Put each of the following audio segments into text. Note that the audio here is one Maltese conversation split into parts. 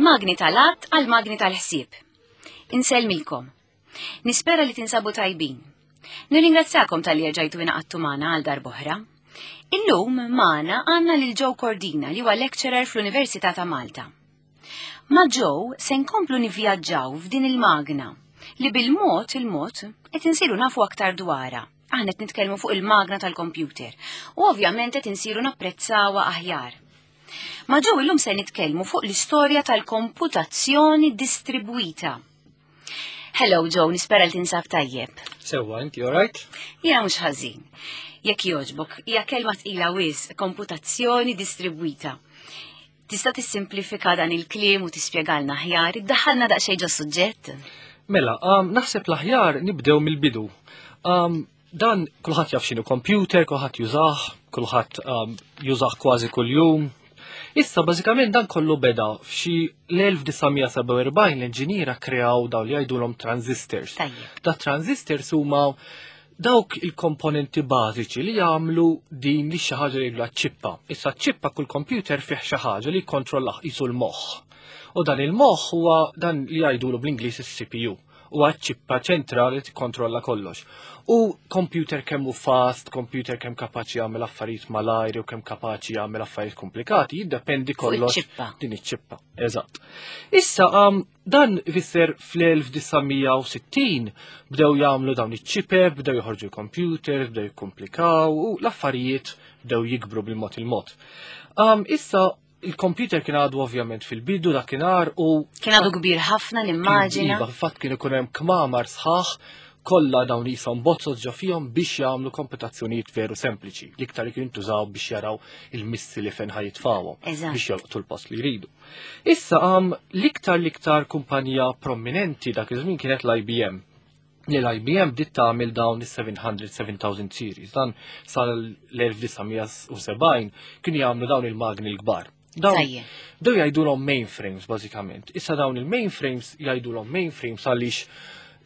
Mill-magni tal-att għal magni tal-ħsieb. Insellmilkom. Nispera li tinsabu tajbin. Nirringrazzjakom tal-li rġajtu ingħaqadtu magħna għal darb'oħra. Illum magħna għandna lil Joe Cordina li huwa lecturer fl-Università ta' Malta. Ma' Joe se nkomplu nivvjaġġaw f'din il-magna li bil-mod il-mod qed insiru nafu aktar dwarha. Aħna qed nitkellmu fuq il-magna tal-kompjuter u ovvjament qed insiru napprezzawha aħjar. Ma' Joe illum se nitkellmu fuq l-istorja tal-komputazzjoni distribwita. Hello Joe, nispera li tinsab tajjeb. Sewwa, inti alright? Jiena mhux ħażin. Jekk jogħġbok, hija kelma tqila wis, komputazzjoni distribwita. Tista' tissimplifika dan il-kliem u tispjegalna aħjar, iddaħħalna daqsxejn ġo suġġett? Mela, um, naħseb l-aħjar nibdew mill-bidu. Um, dan kulħadd jaf x'inhu computer, kulħadd jużah, kulħadd um, jużah kważi kuljum. Issa bażikament dan kollu beda f'xi l-1947 l-inġiniera kreaw dawn li jgħidulhom transistors. Da transistors huma dawk il-komponenti bażiċi li jagħmlu din li xi ħaġa li jgħidulha ċippa. Issa ċippa kull computer fih xi ħaġa li jikkontrollah qisu l-moħħ. U dan il-moħħ huwa dan li jgħidulu bl-Ingliż is-CPU huwa ċippa ċentrali li tikkontrolla kollox. U computer kemm hu fast, computer kemm kapaċi jagħmel affarijiet malajr u kemm kapaċi jagħmel affarijiet komplikati, jiddependi kollox din iċ-ċippa. Eżatt. Issa um, Dan ifisser fl-1960 bdew jagħmlu dawn iċ-ċipep, bdew joħorġu l-computers, bdew jikkomplikaw u l-affarijiet bdew jikbru bil-mod il-mod. Um, issa il-computer kien għadu ovvjament fil-bidu dakinhar u kien għadu kbir ħafna nimmaġina. Iva, fatt kien ikun hemm kmamar sħaħ kollha dawn jisom bozzot ġo fihom biex jagħmlu komputazzjonijiet veru sempliċi. L-iktar li kienu jintużaw biex jaraw il-missili fejn ħajitfawhom biex jolqtu l-post li jridu. Issa għam l-iktar l-iktar kumpanija prominenti dak iż-żmien kienet l-IBM. Li l-IBM bdiet tagħmel dawn is-700 7000 series. Dan sal-1970 kienu jagħmlu dawn il-magni l-kbar. Dawn bdew jgħidulhom mainframes bażikament. Issa dawn il-mainframes jgħidulhom mainframes għaliex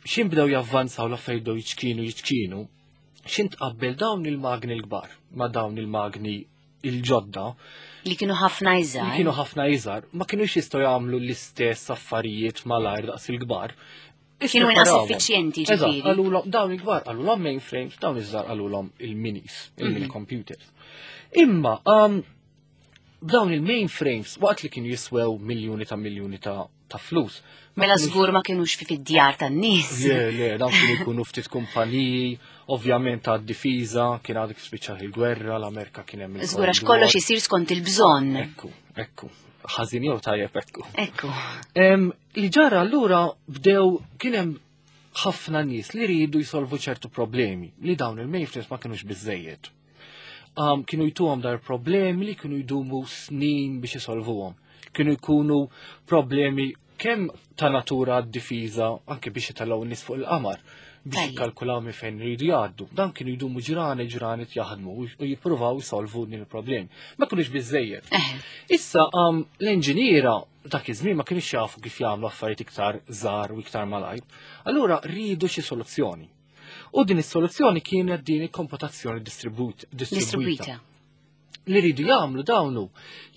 xin bdew javvanzaw l-affarijiet bdew jiċkienu jiċkienu, xin tqabbel dawn il-magni l-kbar ma' dawn il-magni il-ġodda. Li kienu ħafna iżgħar. Li kienu ħafna iżgħar, ma kienux jistgħu jagħmlu l-istess affarijiet malajr daqs il-kbar. Kienu inqas effiċjenti ġifieri. Qalulhom dawn il-kbar qalulhom mainframes, dawn iż-żgħar qalulhom il-minis, il-mini mhm. computers. Imma um, dawn il-mainframes waqt li kienu jiswew miljuni ta' miljuni ta' ta' flus. Mela żgur ma kienux fi fid-djar tan-nies. Le, le, dawn kienu jkunu ftit kumpaniji, ovvjament ta' difiża, kien għadek spiċċat il-gwerra, l-Amerika kien hemm. Żgur għax kollox isir skont il-bżonn. Ekku, ekku. Ħażin jew tajjeb ekku. Ekku. Li ġara allura bdew kien hemm ħafna nies li rridu jsolvu ċertu problemi li dawn il-mainframes ma kienux biżejjed. Um, kienu jtuhom dar problemi li kienu jdumu snin biex isolvuhom. Kienu jkunu problemi kemm ta' natura d-difiża anke biex jitellgħu n-nies fuq il-qamar biex jikkalkulaw minn fejn iridu jgħaddu. Dan kienu jdumu ġrani ġrani jaħdmu u jippruvaw jsolvu din il-problemi. Ma kienux biżejjed. Issa um, l-inġiniera dak iż-żmien ma kienux jafu kif jagħmlu affarijiet iktar żgħar u iktar malajr. Allura rridu xi soluzzjoni. U din is-soluzzjoni kienet din il-komputazzjoni distribuita. Li rridu jagħmlu dawnu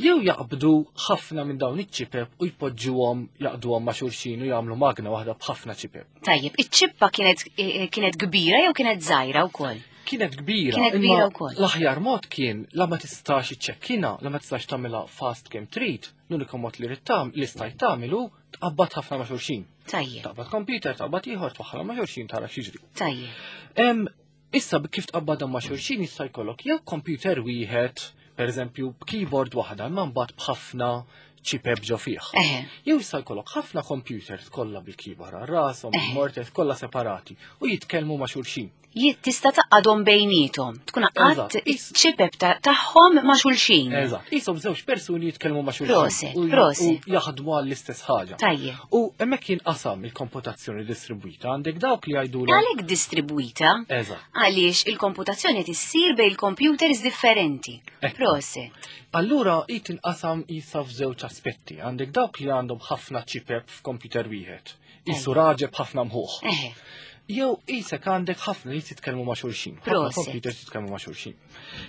jew jaqbdu ħafna minn dawn iċ-ċipep u jpoġġuhom jaqduhom ma' xulxin u jagħmlu magna waħda b'ħafna ċipep. Tajjeb, iċ-ċippa kienet eh, kienet kbira jew kienet żgħira wkoll? Kienet kbira. Kienet kbira wkoll. L-aħjar mod kien la ma tistax iċċekkina, la ma tistax tagħmilha fast kemm trid, l-uniku mod li rid li stajt tagħmlu tqabbad ħafna ma' xulxin. Tajjeb. Taqbad computer, taqbad ieħor, twaħħalha ma' xulxin tara x'jiġri. Tajjeb. Issa kif tqabbadhom ma' xulxin jista' jkollok jew computer wieħed, pereżempju b'keyboard waħda, imma mbagħad b'ħafna ċipeb ġo fih. Jew jista' jkollok ħafna computers kollha bil-keyboard għal rashom, bil-morters kollha separati u jitkellmu ma' xulxin. Tista' taqgħadhom bejniethom, tkun għaqqadt iċ-ċipep tagħhom ma' xulxin. Eżatt, qishom żewġ persuni jitkellmu ma' xulxin. Proset, proset. U jaħdmu għall-istess ħaġa. Tajjeb. U hemmhekk jinqasam il-komputazzjoni distribwita għandek dawk li jgħidu. Għalhekk distribwita? Eżatt. Għaliex il-komputazzjoni qed issir bejn il-computers differenti. Proset. Allura hi tinqasam qisha f'żewġ aspetti. Għandek dawk li għandhom ħafna ċipep f'computer wieħed. Isu raġeb ħafna mħuħ. Jew isek għandek ħafna li titkellmu ma' xulxin. Ħafna computers jitkellmu ma' xulxin.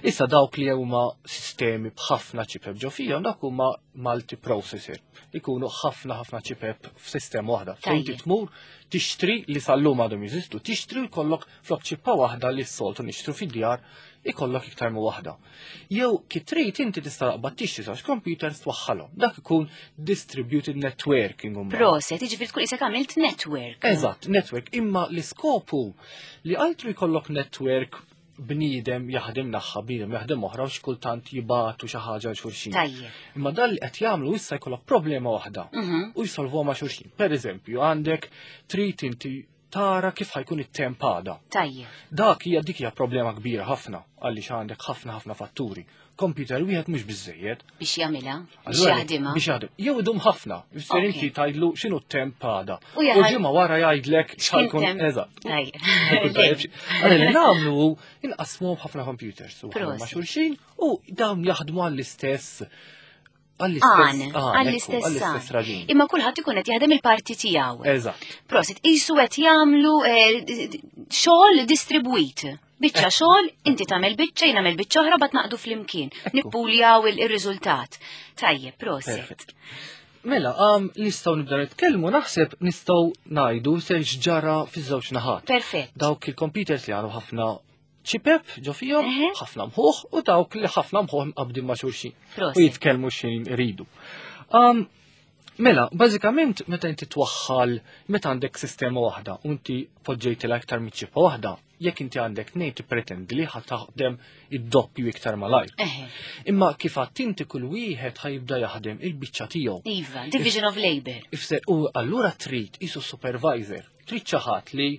Issa dawk li huma sistemi b'ħafna ċipeb ġo fihom dak huma multiprocessor. Ikunu ħafna ħafna ċipep f'sistema waħda. Fejn inti tmur tixtri li sal-lum għadhom jeżistu, tixtri u jkollok flok ċippa waħda li s-soltu nixtru fid-djar ikollok iktar minn waħda. Jew kif trid inti tista' taqbad tixtri żewġ computers twaħħalhom. Dak ikun distributed networking. Proset, jiġifieri tkun isek għamilt network. Eżatt, network. Imma l-iskopu li altru jkollok network bniedem jaħdem naħħa, bniedem jaħdem oħra u xkultant jibatu xi ħaġa għal xulxin. Imma dan li qed jagħmlu issa jkollok problema waħda mhm. u jsolvuha ma' xulxin. Per eżempju, għandek trid inti tara kif ħajkun it-temp għada. Tajjeb. Dak hija dik hija problema kbira ħafna għaliex għandek ħafna ħafna fatturi. Computer wieħed mhux biżejjed. Biex jagħmilha, biex jaħdimha. Biex jaħdem. Jew idum ħafna, jfisser inti tgħidlu x'inhu t-temp għada. U ġimgħa wara jgħidlek x'ħajkun eżatt. Għalli li nagħmlu inqasmu ħafna computers u ma' xulxin u dawn jaħdmu għall-istess għall-istess għall-istess raġuni. Imma kulħadd ikun qed jaħdem il-parti tiegħu. Eżatt. Prosit, qisu qed jagħmlu eh, xogħol distribwit. Biċċa eh. xogħol, inti tagħmel biċċa, jien nagħmel biċċa oħra bad naqdu flimkien. Nippuljaw il-riżultat. Tajjeb, prosit. Mela, um, nistgħu nibda nitkellmu naħseb nistgħu ngħidu se x'ġara fiż-żewġ naħat. Perfett. Dawk il-computers li għandu ħafna ċipep ġo fihom, ħafna mħuħ u dawk li ħafna mħuħ mqabdin ma' xulxin. U jitkellmu xejn iridu. Um, mela, bażikament meta inti twaħħal, meta għandek sistema waħda u inti poġġejtilha iktar minn ċippa waħda, jekk inti għandek tnejn tippretendi li ħa taħdem id-doppju iktar malajr. Imma kif għadt inti kull wieħed ħajibda jaħdem il-biċċa tiegħu. Iva, division of labor. Ifser u allura trid isu supervisor, trid xi ħadd li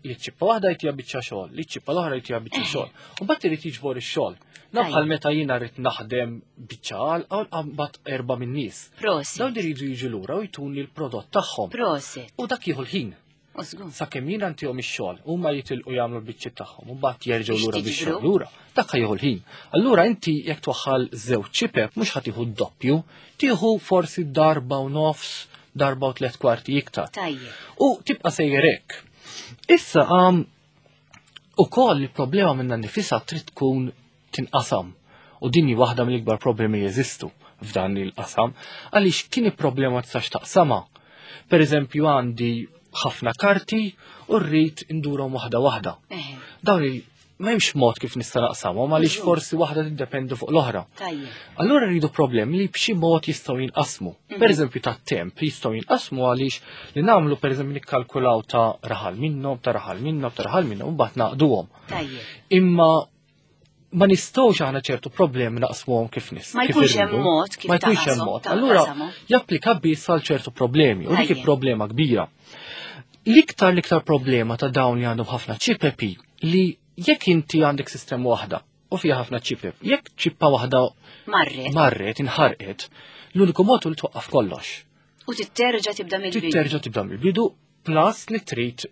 li ċippa waħda jtija biċċa xogħol, li ċippa l-oħra jtija biċċa eh. xogħol. U mbagħad irid jiġbor ix-xogħol. Nabħal meta jiena rrid naħdem biċċa għal mbagħad erba' min-nies. Prosit. Dawn iridu jiġu lura u jtuni l-prodott tagħhom. Prosit. U dak jieħu l-ħin. Sakemm jiena ntihom ix-xogħol, huma jitilqu jagħmlu l-biċċiet tagħhom u mbagħad jerġgħu lura bix-xogħol lura. Dak jieħu l-ħin. Allura inti jekk twaħħal żewġ ċipep mhux ħa tieħu d-doppju, tieħu forsi darba u nofs, darba u tliet kwarti iktar. U tibqa' sejjer hekk. Issa għam u koll il-problema minna nifisa trid tkun tinqasam. U din hi waħda mill-ikbar problemi li jeżistu f'dan il-qasam, għaliex kien il-problema tistax taqsama. Per eżempju għandi ħafna karti u rrid indurhom waħda waħda. Dawn il ma hemmx mod kif nista' naqsamhom għaliex forsi waħda tiddependi fuq l-oħra. Allura rridu problemi li b'xi mod jistgħu jinqasmu. Mhm. Per eżempju tat-temp jistgħu jinqasmu għaliex li nagħmlu per eżempju nikkalkulaw ta' raħal minnhom, ta' raħal minnhom, ta' raħal minnhom, u mbagħad naqduhom. Imma ma nistgħux aħna ċertu problemi naqsmuhom kif nis. Ma jkunx hemm mod kif Ma jkunx hemm mod. Allura japplika biss għal ċertu problemi u dik problema kbira. L-iktar l-iktar problema ta' dawn li għandhom ħafna ċipepi li jekk inti għandek sistema waħda u fiha ħafna ċipep, jekk ċippa waħda marret, marret inħarqet, l-uniku mod li twaqqaf kollox. U titterġa' tibda mill-bidu. Titterġa' tibda mill-bidu plus li trid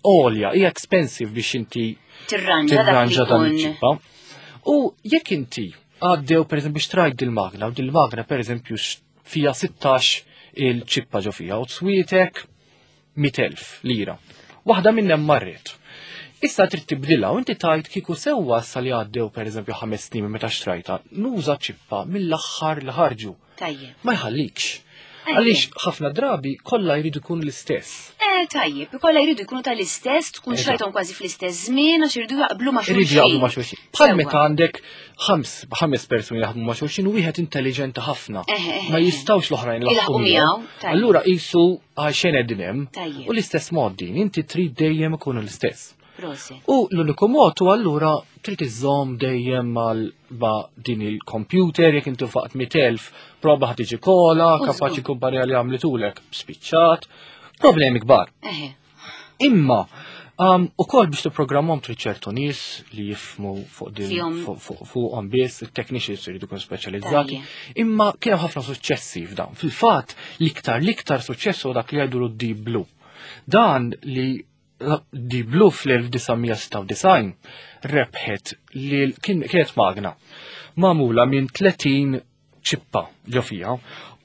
għolja, hija expensive biex inti tirranġa dan iċ-ċippa. U jekk inti għaddew per eżempju xtrajt dil-magna, u dil-magna per eżempju fija 16 il-ċippa ġo fija u tswietek 100,000 lira. Waħda minnhom marret. Issa trid tibdilha u inti tajt kieku sewwa issa li għaddew pereżempju ħames snin meta xtrajta, nuża ċippa mill-aħħar li ħarġu. Tajjeb. Ma jħallikx. Għaliex ħafna drabi kollha jridu jkunu l-istess. Eh, tajjeb, kollha jridu jkunu tal-istess, tkun xtrajthom kważi fl-istess żmien għax iridu jaqblu ma' xulxin. Iridu jaqblu ma' xulxin. Bħal meta għandek ħames persuni jaħdmu ma' xulxin u wieħed intelligenti ħafna. Ma jistgħux l-oħrajn laħqu miegħu. Allura qisu għal xejn qegħdin hemm. U l-istess mod din, inti trid dejjem ikunu l-istess. U l-uniku mod u allura trid iżżomm dejjem mal ma' din il-computer, jekk inti faqt 100,000, proba ħad tiġi kola, kapaċi kumpanija li għamlitulek spiċċat, problemi kbar. Imma, um, u kol biex tipprogrammhom trid ċertu nies li jifmu fuq din fuqhom biss, it-technicians iridu jkunu speċjalizzati. Imma kien hemm ħafna suċċessi f'dan. Fil-fatt, l-iktar l-iktar suċċess huwa dak li jgħidu Deep Blue. Dan li Deep Blue fl-1996 rebħet li kienet magna magħmula minn 30 ċippa ġo fija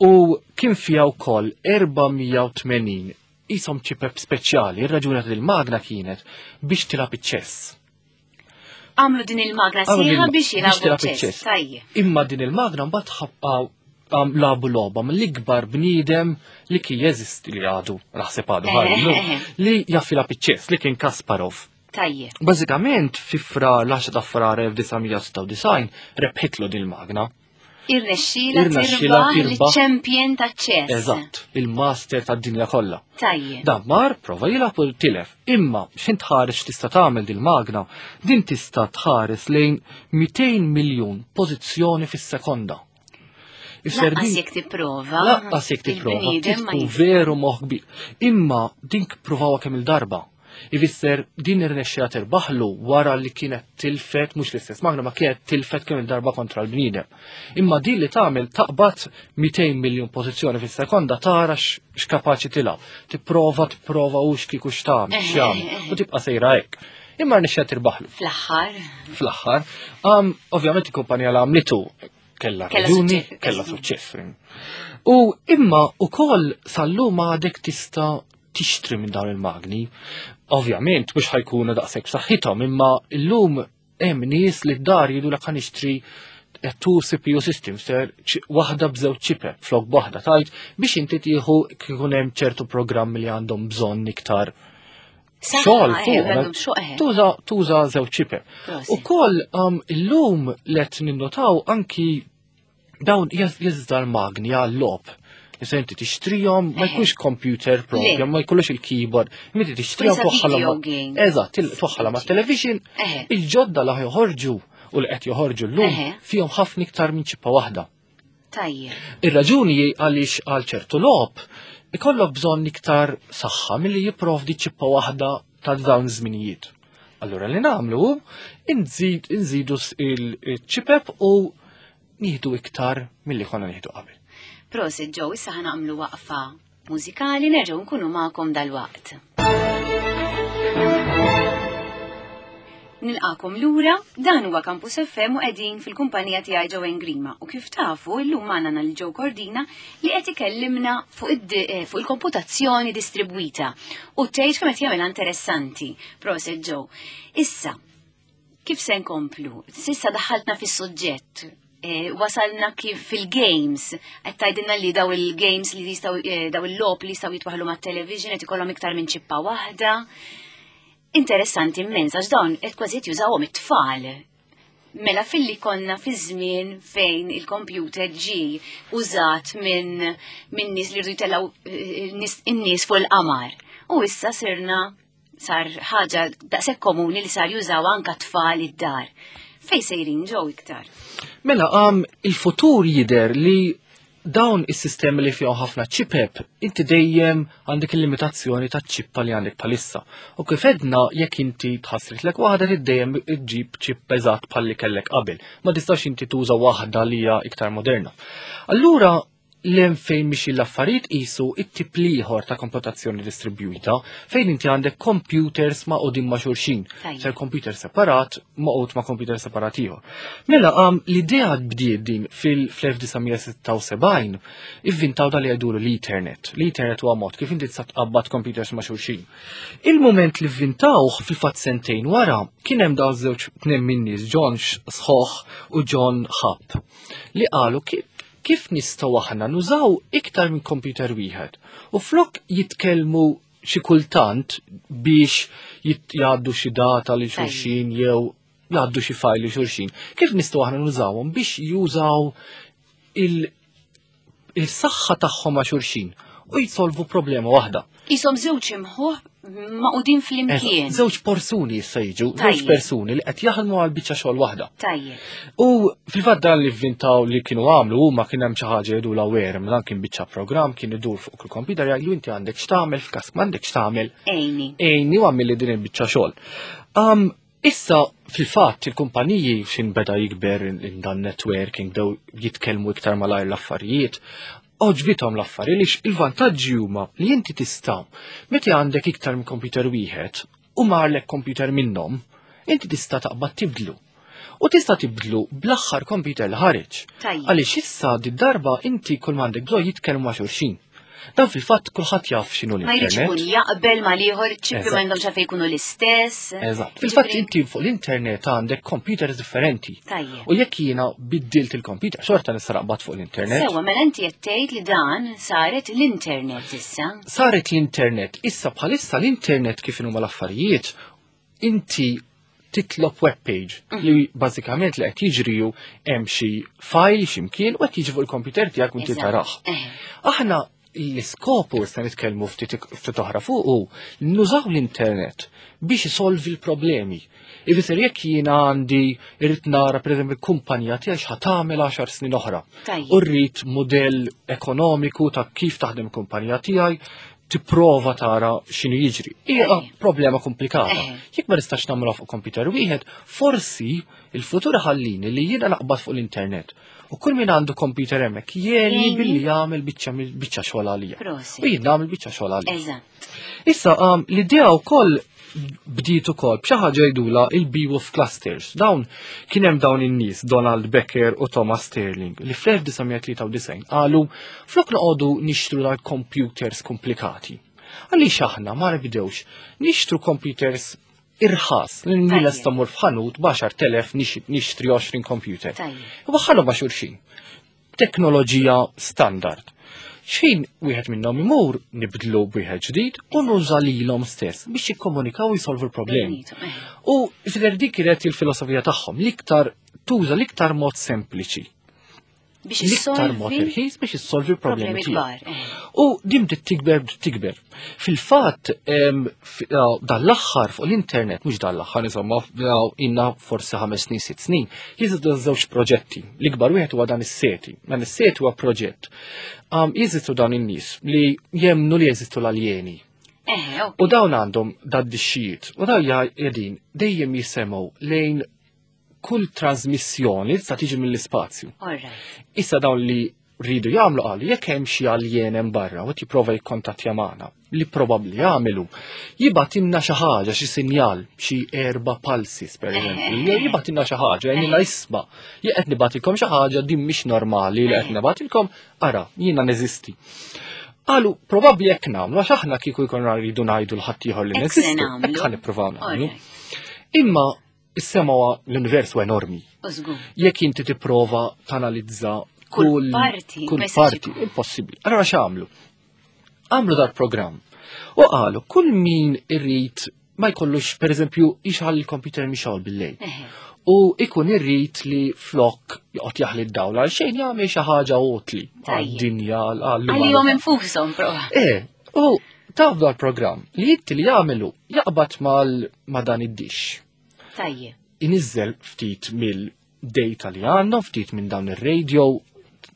u kien fija wkoll 480 qishom ċipep speċjali, ir-raġuni ta' il-magna kienet biex tilgħab iċ-ċess. Għamlu din il-magna sieħa biex jilagħbu iċ-ċess. Imma din il-magna mbagħad ħabqaw lagħbu logħba mill-ikbar bniedem li kien jeżisti li għadu, naħseb għadu ħallu, li jaf jilgħab iċ-ċess li kien Kasparov. Tajjeb. Bażikament fi Frar l-10 ta' Frar 1996 rebħitlu din il-magna. Irnexxila tirbaħ il-champion ta' ċess. Eżatt, il-master tad-dinja kollha. Tajjeb. Dan mar prova jilgħab u tilef. Imma x'int tħares x'tista' tagħmel dil-magna, din tista' tħares lejn 200 miljun pożizzjoni fis-sekonda. Lanqas jekk tipprova. Lanqas jekk tipprova. Tkun veru moħħ kbir. Imma din provawha kemm il-darba. Ifisser din irnexxila tirbaħlu wara li kienet tilfet mhux l-istess magna ma kienet tilfet kemm il-darba kontra l-bniedem. Imma din li tagħmel taqbad 200 miljun pożizzjoni fis-sekonda tara x'kapaċi tilgħab. Tipprova tipprova u x'kieku x'tagħmel, x'jagħmel u tibqa' sejra hekk. Imma rnexxila tirbaħlu. Fl-aħħar. Fl-aħħar. Ovvjament il-kumpanija li għamlitu kella raġuni, kella suċċess. U imma ukoll sal-lum għadek tista' tixtri minn dawn il-magni. Ovvjament mhux ħajkunu daqshekk b'saħħithom, imma llum hemm nies li d-dar jgħidulek ħa nixtri two CPU systems, ser waħda b'żewġ ċipep flok waħda tajt biex inti tieħu kikun hemm ċertu programmi li għandhom bżonn iktar xogħol fuq. Tuża tuża żewġ ċipep. Ukoll um, illum let ninnotaw anki dawn jeżda l-magni għal-lob. Issa inti tixtrihom, ma jkunx computer program, ma jkollux il-keyboard, inti tixtrihom twaħħalhom. Eżatt, twaħħalhom ma' television, il-ġodda li joħorġu u li qed joħorġu llum fihom ħafna iktar minn ċippa waħda. Tajjeb. Ir-raġuni għaliex għal ċertu logħob ikollok bżonn iktar saħħa milli jipprovdi ċippa waħda ta' dawn iż-żminijiet. Allura li nagħmlu nżidu il-ċipep u nieħdu iktar milli konna nieħdu qabel. Prosit Joe, issa ħa nagħmlu waqfa mużikali nerġgħu nkunu magħkom dal-waqt. Nilqakom lura, dan huwa Campus FM u qegħdin fil-kumpanija tiegħi Joanne Grima u kif tafu illum magħna lil Joe Cordina li qed ikellimna fuq eh, il-komputazzjoni distribwita u tgħid kemm qed jagħmilha interessanti. Prosit Joe. Issa, kif se nkomplu? Sissa daħħaltna fis-suġġett eh, wasalna kif fil-games, qed tgħidilna li daw il-games li jistgħu eh, daw il-logħob li jistgħu jitwaħlu mat-television qed ikollhom iktar minn ċippa waħda. Interessanti immens għax dawn qed kważi jużawhom it-tfal. Mela filli konna fi żmien fejn il-computer ġi użat minn min nies li rridu jtellgħu eh, in-nies fuq il-qamar. U issa sirna sar ħaġa daqshekk komuni li sar jużaw anka tfal id-dar. Fej sejrin ġew iktar? Mela għam il-futur jider li dawn is-sistemi li fihom ħafna ċipep, inti dejjem għandek il-limitazzjoni ta' ċippa li għandek bħalissa. U kif edna jekk inti tħassritlek waħda trid dejjem iġġib ċip eżatt bħalli kellek qabel. Ma tistax inti tuża waħda li hija iktar moderna. Allura l fejn mixi l-affarijiet qisu it-tip l-ieħor ta' komputazzjoni distribwita fejn inti għandek computers ma' ma' xulxin. Ser computer separat maqgħud ma' computer separat ieħor. Mela għam l-idea bdiet din fil-1976 ivvintaw dal li jgħidulu l-Ethernet. L-Ethernet huwa mod kif inti tista' tqabbad computers ma' xulxin. Il-moment li vvintawh fil-fatt sentejn wara kien hemm dawn żewġ tnejn min-nies John Schoch u John Hupp li qalu kif nistgħu aħna nużaw iktar minn computer wieħed u flok jitkellmu xi kultant biex jgħaddu xi data li xulxin jew jgħaddu xi file li xulxin. Kif nistgħu aħna nużawhom biex jużaw il-saħħa tagħhom ma' xulxin u jsolvu problema waħda. Isom żewġ imħuħ maqudin flimkien. Żewġ persuni issa jiġu, żewġ persuni li qed jaħdmu għal biċċa xogħol waħda. Tajjeb. U fil-fatt dan li vvintaw li kienu għamlu huma kien hemm xi ħaġa jgħidu la werm, dan kien biċċa programm kien idur fuq il-kompjuter jgħidu inti għandek x'tagħmel f'każ m'għandek x'tagħmel. Ejni. Ejni u għamil li din il-biċċa xogħol. Issa, fil-fatt, il-kumpaniji xin beda jikber in dan networking, bdew jitkellmu iktar malajr l-affarijiet, għoġbithom l-affarijiet li il-vantaġġi huma li inti tista' meta għandek iktar minn computer wieħed u marlek computer minnhom, inti tista' taqbad tibdlu. U tista' tibdlu bl-aħħar computer li ħareġ. Għaliex issa di darba inti kull m'għandek bżonn jitkellmu ma' xulxin. Dan fil-fatt kulħadd jaf x'inhu Ma jridx l-internet. ikun jaqbel ma liħor ċippi Eżatt. ma għandhomx għalfejn jkunu l-istess. Eżatt. Fil-fatt inti fuq l-internet għandek computers differenti. Tajjeb. U jekk jiena biddilt il-computer, xorta nista' naqbad fuq l-internet. Sewa, mela inti qed tgħid li dan saret l-internet issa. Saret l-internet. Issa bħalissa l-internet kif huma l-affarijiet, inti titlob web page li bażikament li qed jiġri hu hemm xi file x'imkien u qed jiġi fuq il-computer tiegħek u inti Eżatt. tarah. Aħna l-iskopu issa nitkellmu ftit ftit oħra fuq hu nużaw l-internet biex isolvi l-problemi. Ifisser jekk jiena għandi irrid nara pereżempju kumpanija tiegħi x'ħa tagħmel 10 snin oħra. Tajjeb. U rrid mudell ekonomiku ta' kif taħdem kumpanija tiegħi tipprova tara x'inhu jiġri. Hija Tajjeb. problema komplikata. Eħe. Jekk ma nistax nagħmluha fuq computer wieħed, forsi il-futur ħallini li jiena naqbad fuq l-internet. U kull min għandu computer hemmhekk jgħinni Jgħinni. billi jagħmel biċċa biċċa xogħol għalija. Prosit. U jien nagħmel biċċa xogħol għalija. Eżatt. Issa l-idea wkoll bdiet ukoll b'xi ħaġa jgħidula il-Beowulf Clusters. Dawn kien hemm dawn in-nies Donald Becker u Thomas Sterling li fl-1993 qalu flok noqogħdu nixtru dal-computers komplikati. Għaliex aħna ma nibdewx nixtru computers irħas li Tajjeb. lesta mmur f'ħanut b'10,000 nixtri 20 computer. Tajjeb. Waħħalhom ma' xulxin. Teknoloġija standard. Xejn wieħed minnhom imur nibdlu b'wieħed ġdid u nuża lilhom stess biex jikkomunikaw u jsolvu l-problemi. Bejnietom, eh. U fidher dik kienet il-filosofija tagħhom l-iktar tuża l-iktar mod sempliċi, Biex l-iktar mod issolvi irħis biex issolvi l-problemi problemi tiegħek. kbar. eh. U din bdiet tikber bdiet tikber. Fil-fatt dan l-aħħar fuq l-internet, mhux dan l-aħħar, insomma, inna forsi 5 snin, 6 snin, jeżistu żewġ proġetti. L-ikbar wieħed huwa dan is-SETI. Dan is-SETI huwa proġett. Jeżistu dawn in-nies li jemnu li jeżistu l-aljeni. Eh, ok. U dawn għandhom dad-dixxijiet. U dawn qegħdin dejjem jisemgħu lejn kull trasmissjoni li tista' tiġi mill-ispazju. All right. Issa dawn li rridu jagħmlu qalu jekk hemm xi alien hemm barra u qed jipprova jikkontattja magħna li probabbli jagħmlu, jibgħatilna xi ħaġa, xi sinjal, xi erba' pulses pereżempju, jew jibgħatilna xi ħaġa, jgħidilna isma' jekk qed nibgħatilkom xi ħaġa din mhix normali li qed nibgħatilkom, ara, jiena neżisti. Qalu probabbli jekk nagħmlu għax aħna kieku jkollna rridu ngħidu l ħaddieħor li Hekk se neżistu, nagħmlu. hekk ħa nippruvaw nagħmlu. All right. Imma is-sema huwa l-univers huwa enormi U żgur. jekk inti tipprova tanalizza Kull kull parti, kull ma jistax parti, ikun. impossibbli. Allora x'għamlu? Għamlu dar programm u qalu kull min irrid ma jkollux pereżempju jixħal il-computer mixgħol bil-lejl. Eh, U ikun irrid li flok joqgħod jaħli d-dawl għal xejn jagħmel xi ħaġa utli Tajjeb. għad-dinja għall Għalihom infushom prova. Eh, u taf dal programm li inti li jagħmelu jaqbad mal ma dan id-dix Tajjeb. inizzel ftit mill-data li għandhom, ftit minn dawn ir-radio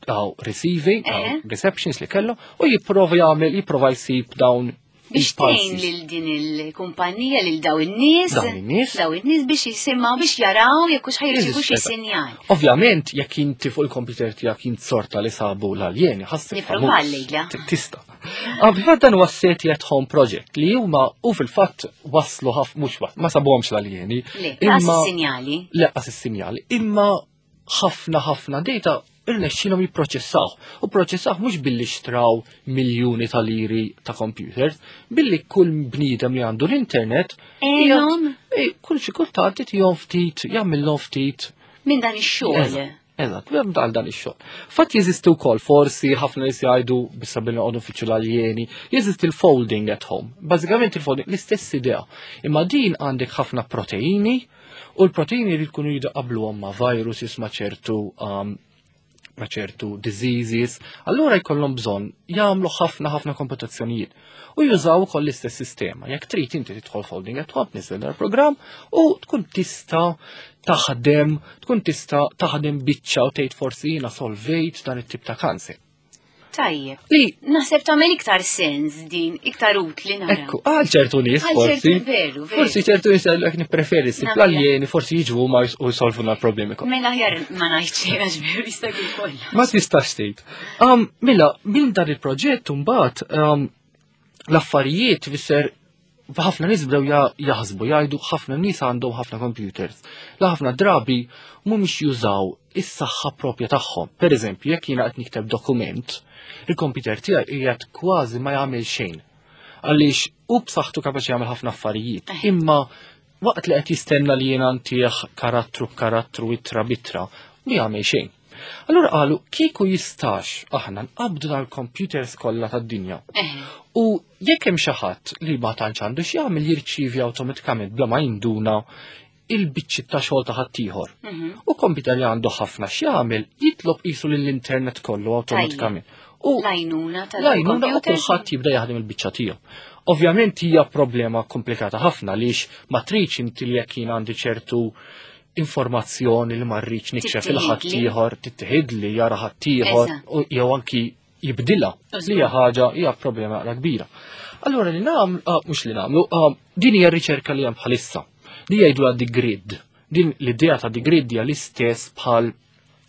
għaw receiving, għaw Eħe. receptions li kellu, u jipprova jagħmel, jipprova jsib dawn Biex tgħin il-pulses. lil din il-kumpanija lil daw in-nies. Dawn in-nies. Daw in-nies biex jisimgħu biex jaraw jekk hux ħajrċivu xi Eżatt. sinjal. Ovvjament, jekk inti fuq il-computer tiegħek int sorta li sabu l-aljeni, ħassib Nipprova llejla. Tista. Fil-fatt dan huwa SETI at Home Project li huma u fil-fatt waslu ħaf mhux ma sabuhomx l-aljeni. Le, qas is-sinjali. Leqqas is-sinjali, imma ħafna ħafna data irnexxilhom jipproċessaw. U proċessaw mhux billi xtraw miljuni ta' liri ta' computers, billi kull bniedem li għandu l-internet Għenhom? kull xi kultant itihom ftit, jagħmilhom ftit. Minn dan ix-xogħol. Eżatt, Eżatt, għal dan ix-xogħol. Fatt jeżisti wkoll forsi ħafna nies jgħidu bissa billi noqogħdu nfittxu l-aljeni, jeżisti l-folding at home. Bażikament il-folding l-istess idea. Imma din għandek ħafna proteini u l-proteini jrid jkunu jidqabluhom ma' viruses ma' ċertu ma' ċertu diseases, allura jkollhom bżonn jagħmlu ħafna ħafna komputazzjonijiet u jużaw ukoll l-istess sistema. Jekk trid inti tidħol folding at home, tniżel dal-programm u tkun tista' taħdem, tkun tista' taħdem biċċa u tgħid forsi jiena solvejt dan it-tip ta' kanser. Tajjeb. Li Naħseb tagħmel iktar sens din, iktar utli nara. Ekku, għal ċertu nies Għal forsi. ċertu, veru, veru. Forsi ċertu nies jgħidlek nippreferi ssib Nagħmel. l-aljeni, forsi jiġu huma u jsolvuna l-problemi kollha. Mela aħjar ma ngħid xejn għax veru jista' jkun kollha. Ma tistax tgħid. Mela, minn dan il-proġett mbagħad l-affarijiet fisser Ħafna nies bdew jaħsbu jgħidu ħafna nies għandhom ħafna computers. La ħafna drabi mhumiex jużaw is-saħħa propja tagħhom. Per eżempju, jekk jiena qed nikteb dokument, il-computer tiegħi qiegħed kważi ma jagħmel xejn. Għaliex hu b'saħħtu kapaċi jagħmel ħafna affarijiet. Imma waqt li qed jistenna li jiena ntih karattru b'karattru ittra b'ittra, ma jagħmel xejn. Allura qalu kieku jistax aħna nqabdu dal-computers kollha tad-dinja. U jekk hemm xi ħadd li ma tantx għandu x'jagħmel jirċievi awtomatikament bla ma jinduna il-biċċi ta' xogħol ta' ħaddieħor. U computer li għandu ħafna x'jagħmel jitlob qisu lill-internet kollu awtomatikament. U L-għajnuna l-għajnuna u tal-computer. kulħadd jibda jaħdem il-biċċa tiegħu. Ovvjament hija problema komplikata ħafna għaliex ma tridx inti li jekk jien għandi ċertu informazzjoni li ma rridx nikxef il Tittieħidli. ħaddieħor, tittieħidli jara ħaddieħor u jew anki jibdilha li hija ħaġa hija problema naqra kbira. Allura li nagħmlu, ah, mhux li nagħmlu, ah, din hija riċerka li hemm bħalissa. Li jgħidu the grid. Din l-idea ta' the grid hija l-istess bħal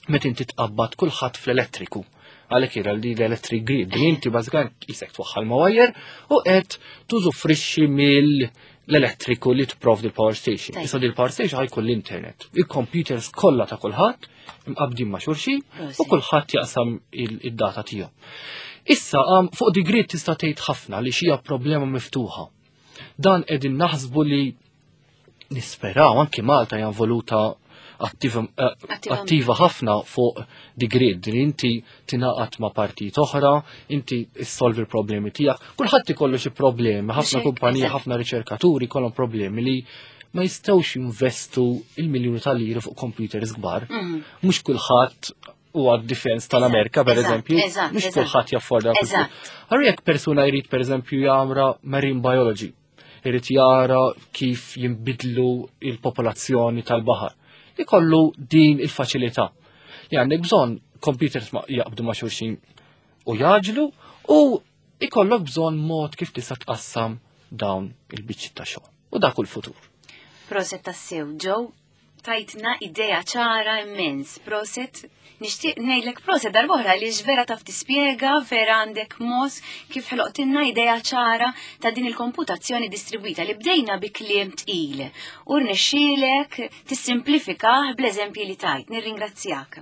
meta inti tqabbad kulħadd fl-elettriku. Għalhekk jira li l-electric grid, li inti bażikament qisek twaħħal ma' wire u qed tużufrixxi mill-elettriku li tipprovdi l-power station. Tajjeb. Issa di l-power station ħa jkun l-internet. Il-computers kollha ta' kulħadd imqabbdin ma' xulxin u Prosit. kulħadd jaqsam id-data tiegħu. Issa fuq the grid tista' tgħid ħafna li xija problema miftuħa. Dan qegħdin naħsbu li nisperaw anki Malta hija involuta Attivament. attiva ħafna fuq the grid li inti tingħaqad ma' partit oħra, inti issolvi l-problemi tiegħek. Kulħadd ikollu xi problemi, ħafna Mhux hekk, kumpaniji, eżatt. ħafna riċerkaturi kollhom problemi li ma jistgħux jinvestu il-miljuni ta' liri fuq computers kbar. Mhux kulħadd huwa d-defense tal-Amerika, per eżempju, mhux kulħadd jafforda. Allura jekk persuna jrid per eżempju jagħmra marine biology, irid jara kif jinbidlu il-popolazzjoni tal-baħar. Ikollu din il-faċilità. Li għandek bżonn computers ma jaqbdu ma' xulxin u jaġlu u ikollok bżonn mod kif tista' tqassam dawn il-biċċi ta' xogħol. U dak hu l-futur. Prosit tassew, Joe, tajtna idea ċara immens. Prosit, nixtieq ngħidlek prosit darb'oħra li vera taf tispjega, vera għandek mod kif ħloqtilna idea ċara ta' din il-komputazzjoni distribwita li bdejna bi kliem tqil. U rnexxielek tissimplifikah bl-eżempji li tajt. Nirringrazzjak.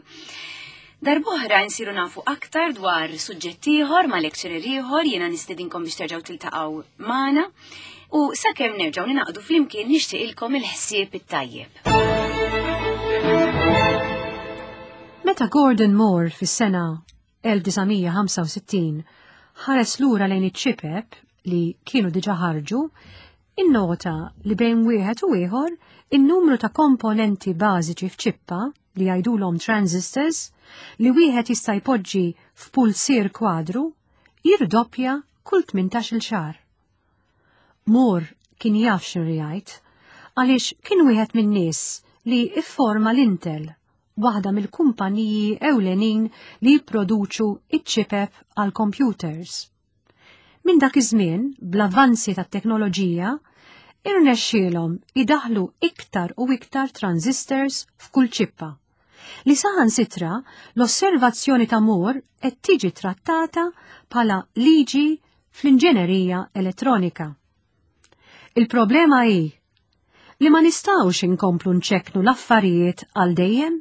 Darb'oħra nsiru nafu aktar dwar suġġett ieħor ma' lecturer ieħor jiena nistedinkom biex terġgħu tiltaqgħu magħna u sakemm nerġgħu ninaqdu flimkien nixtieqilkom il-ħsieb it-tajjeb. Meta Gordon Moore fis-sena 1965 ħares lura lejn iċ-ċipep li kienu diġa ħarġu, innota li bejn wieħed u ieħor in-numru ta' komponenti bażiċi f'ċippa li jgħidulhom transistors li wieħed jista' jpoġġi f'pulsier kwadru jirdoppja kull 18-il xahar. Moore kien jaf x'inhu jgħid għaliex kien wieħed min-nies li ifforma l-Intel, waħda mill-kumpaniji ewlenin li jipproduċu iċ-ċipep għal computers. Minn dak iż-żmien, bl-avvanzi tat-teknoloġija, irnexxielhom idaħlu iktar u iktar transistors f'kull ċippa. Li saħansitra l-osservazzjoni ta' Moore qed tiġi trattata bħala liġi fl-inġenerija elettronika. Il-problema hi li ma nistgħux inkomplu nċeknu l-affarijiet għal dejjem.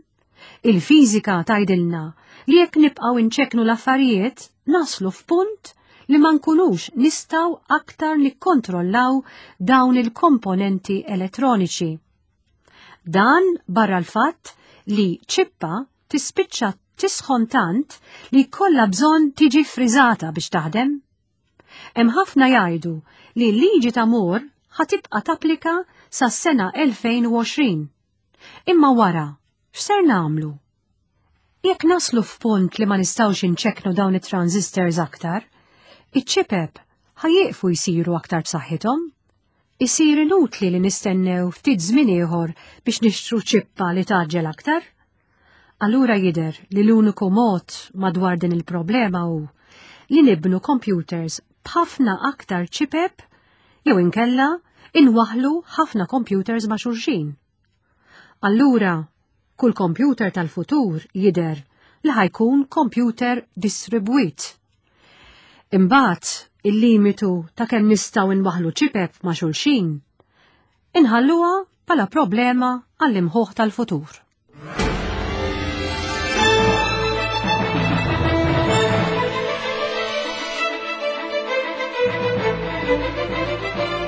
Il-fiżika tgħidilna li jekk nibqgħu nċeknu l-affarijiet naslu f'punt li ma nkunux nistgħu aktar nikkontrollaw dawn il-komponenti elettroniċi. Dan barra l-fatt li ċippa tispiċċa tisħon tant li kollha bżonn tiġi friżata biex taħdem. Hemm ħafna jgħidu li l-liġi ta' Moore ħa tibqa' tapplika sas-sena 2020. Imma wara, x'ser nagħmlu? Jekk naslu f'punt li ma nistgħux inċeknu dawn it-transistors aktar, iċ-ċipep ħa jieqfu jsiru aktar b'saħħithom. Isir inutli li nistennew ftit żmien ieħor biex nixtru ċippa li tgħaġġel aktar. Allura jidher li l-uniku mod madwar din il-problema hu li nibnu computers b'ħafna aktar ċipep jew inkella inwaħlu ħafna computers ma' xulxin. Allura, kull computer tal-futur jidher li ħa jkun computer distribwit. Imbagħad Il-limitu ta' kemm nistgħu nwaħħlu ċipep ma' xulxin inħalluha bħala problema għall-imħuħ tal-futur. Thank you.